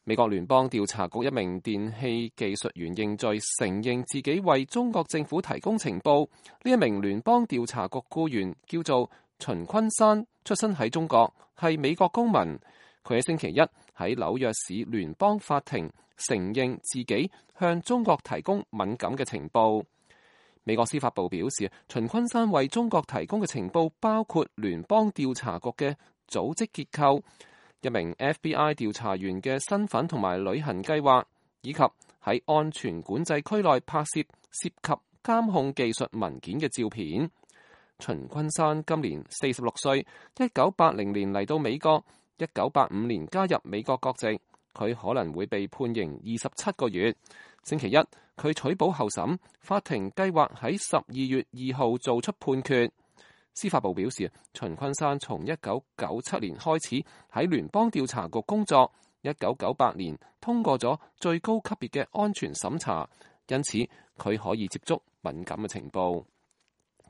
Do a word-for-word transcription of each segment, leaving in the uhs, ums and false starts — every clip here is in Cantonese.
美國聯邦調查局一名電氣技術員認罪，承認自己為中國政府提供情報。呢一名聯邦調查局僱員叫做秦昆山，出身喺中國，係美國公民。佢喺星期一喺紐約市聯邦法庭承認自己向中國提供敏感嘅情報。美國司法部表示，秦昆山為中國提供嘅情報包括聯邦調查局嘅組織結構、一名 F B I 調查員嘅身份同埋旅行計劃，以及喺安全管制區內拍攝涉及監控技術文件嘅照片。秦昆山今年四十六歲，一九八零年嚟到美國，一九八五年加入美國國籍。佢可能會被判刑二十七個月。星期一，佢取保候審，法庭計劃喺十二月二號做出判決。司法部表示，秦昆山從一九九七年開始喺聯邦調查局工作，一九九八年通過咗最高級別嘅安全審查，因此佢可以接觸敏感嘅情報。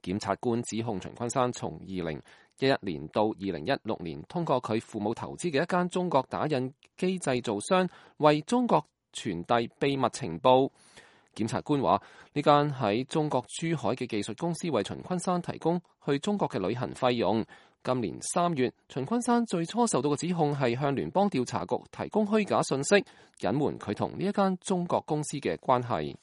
檢察官指控秦昆山從二零一一年到二零一六年，通過佢父母投資嘅一間中國打印機製造商，為中國傳遞秘密情報。檢察官話，呢間喺中國珠海嘅技術公司為秦昆山提供去中國嘅旅行費用。今年三月，秦昆山最初受到嘅指控係向聯邦調查局提供虛假信息，隱瞞佢同呢一間中國公司嘅關係。